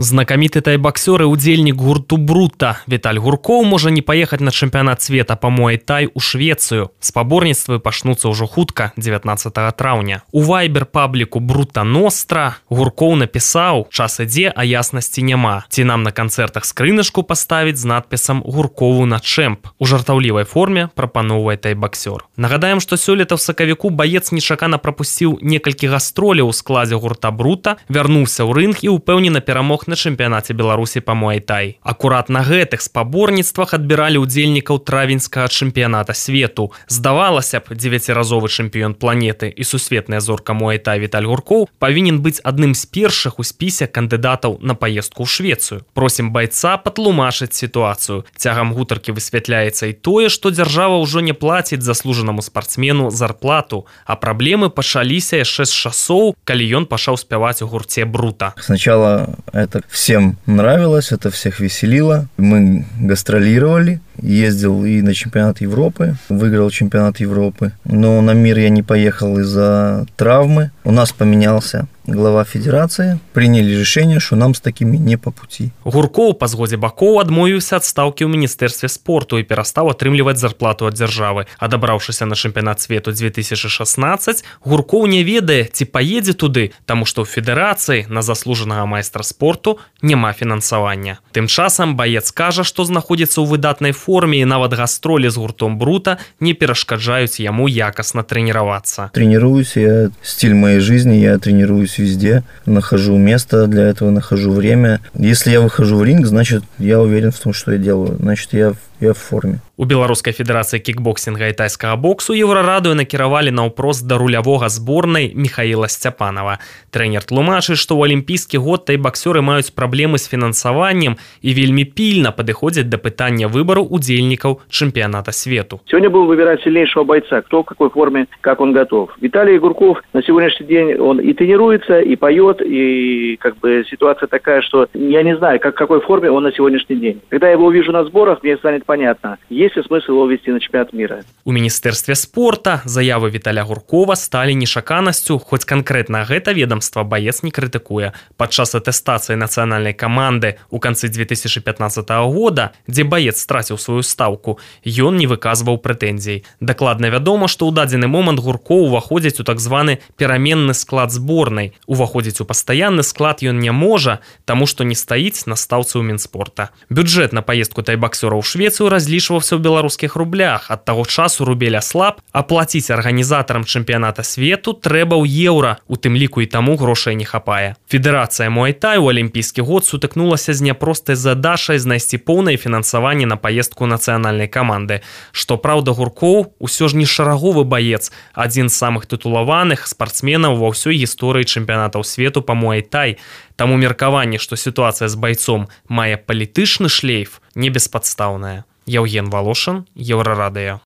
Знакаміты тайбаксёр і удзельнік гурту «Брута» Віталь Гуркоў можа не паехаць на чэмпіянат света па муай-тай у Швецыю. Спаборніцтвы пачнуцца ўжо хутка, 19 траўня. У вайбер-пабліку «Брута Ностра» Гуркоў напісаў: «Час ідзе, а яснасці няма. Ці нам на канцэртах скрыначку паставіць з надпісам «Гуркову на чэмп». У жартаўлівай форме прапаноўвае тайбаксёр. Нагадаем, што сёлета ў сакавіку баец нечакана прапусціў некалькі гастроляў у складзе гурта «Брута», вярнуўся ў рынг і ўпэўнена перамог на чэмпіянаце Беларусі па муай-тай. Акурат на гэтых спаборніцтвах адбіралі ўдзельнікаў травеньскага чэмпіяната свету. Здавалася б, 9-разовы чэмпіён планеты і сусветная зорка муай-тай Віталь Гуркоў павінен быць адным з першых у спісе кандыдатаў на паездку ў Швецыю. Просім байца патлумачыць сітуацыю. Цягам гутаркі высвятляецца і тое, што дзяржава ўжо не плаціць заслужанаму спартсмену зарплату, а праблемы пачаліся яшчэ з часоў, калі ён пачаў спяваць у гурце «Брута». Сначала это всем нравилось, это всех веселило. Мы гастролировали, ездил и на чемпионат Европы, выиграл чемпионат Европы. Но на мир я не поехал из-за травмы. У нас поменялся глава федерации, приняли решение, что нам с такими не по пути. Гуркоў па згодзе бакоў адмовіўся ад стаўкі ў міністэрстве спорту і перастаў атрымліваць зарплату ад дзяржавы. Адабраўшыся на чэмпіянат свету 2016, Гуркоў не ведае, ці паедзе туды, таму што ў федэрацыі на заслужанага майстра спорту няма фінансавання. Тым часам баец кажа, што знаходзіцца ў выдатнай форме і нават гастролі з гуртом «Брута» не перашкаджаюць яму якасна трэніравацца. Тренируюсь, я стиль моей жизни, я тренируюсь везде, нахожу место для этого, нахожу время. Если я выхожу в ринг, значит, я уверен в том, что я делаю. Значит, я в форме. У Беларускай федэрацыі кікбоксінга і тайскага боксу еўрарадыё накіравалі наўпрост да рулявога зборнай Михаіла Сцяпанова. Трэнер тлумачыць, што ў алімпійскі год тайбаксёры маюць праблемы з фінансаваннем і вельмі пільна падыходзяць да пытання выбару удзельнікаў чэмпіяната свету. Сегодня будем выбирать сильнейшего бойца, кто в какой форме, как он готов. Виталий Гурков на сегодняшний день он и тренируется, и поет, и как бы ситуация такая, что я не знаю, в какой форме он на сегодняшний день. Когда я его увижу на сборах, мне станет понятно, есть ли смысл его вести на чемпионат мира. У міністэрстве спорта заявы Віталя Гуркова сталі нечаканасцю, хоць канкрэтна гэта ведомства баец не крытыкуе. Падчас атэстацыі нацыянальнай каманды ў канцы 2015 года, дзе баец страціў сваю стаўку, ён не выказваў прэтэнзій. Дакладна вядома, што ў дадзены момант Гуркоў уваходзіць у так званы пераменны склад зборнай. Уваходзіць у пастаянны склад ён не можа, таму што не стаіць на стаўцы ў Мінспорта. Бюджэт на паездку тайбаксёра ў Швецыю разлічваўся ў беларускіх рублях. Ад таго часу рубель аслаб, а плаціць арганізатарам чэмпіяната свету трэба ў еўра, у тым ліку і таму грошай не хапае. Федэрацыя муай-тай у алімпійскі год сутыкнулася з няпростай задачай знайсці поўнае фінансаванне на паездку нацыянальнай каманды. Што праўда, Гуркоў усё ж не шараговы баец, адзін з самых тытулаваных спартсменаў ва ўсёй гісторыі чэмпіянатаў свету па муай-тай. Таму меркаванне, што сітуацыя з байцом мае палітычны шлейф, не беспадстаўная. Яўген Валошын, Еўрарадыё.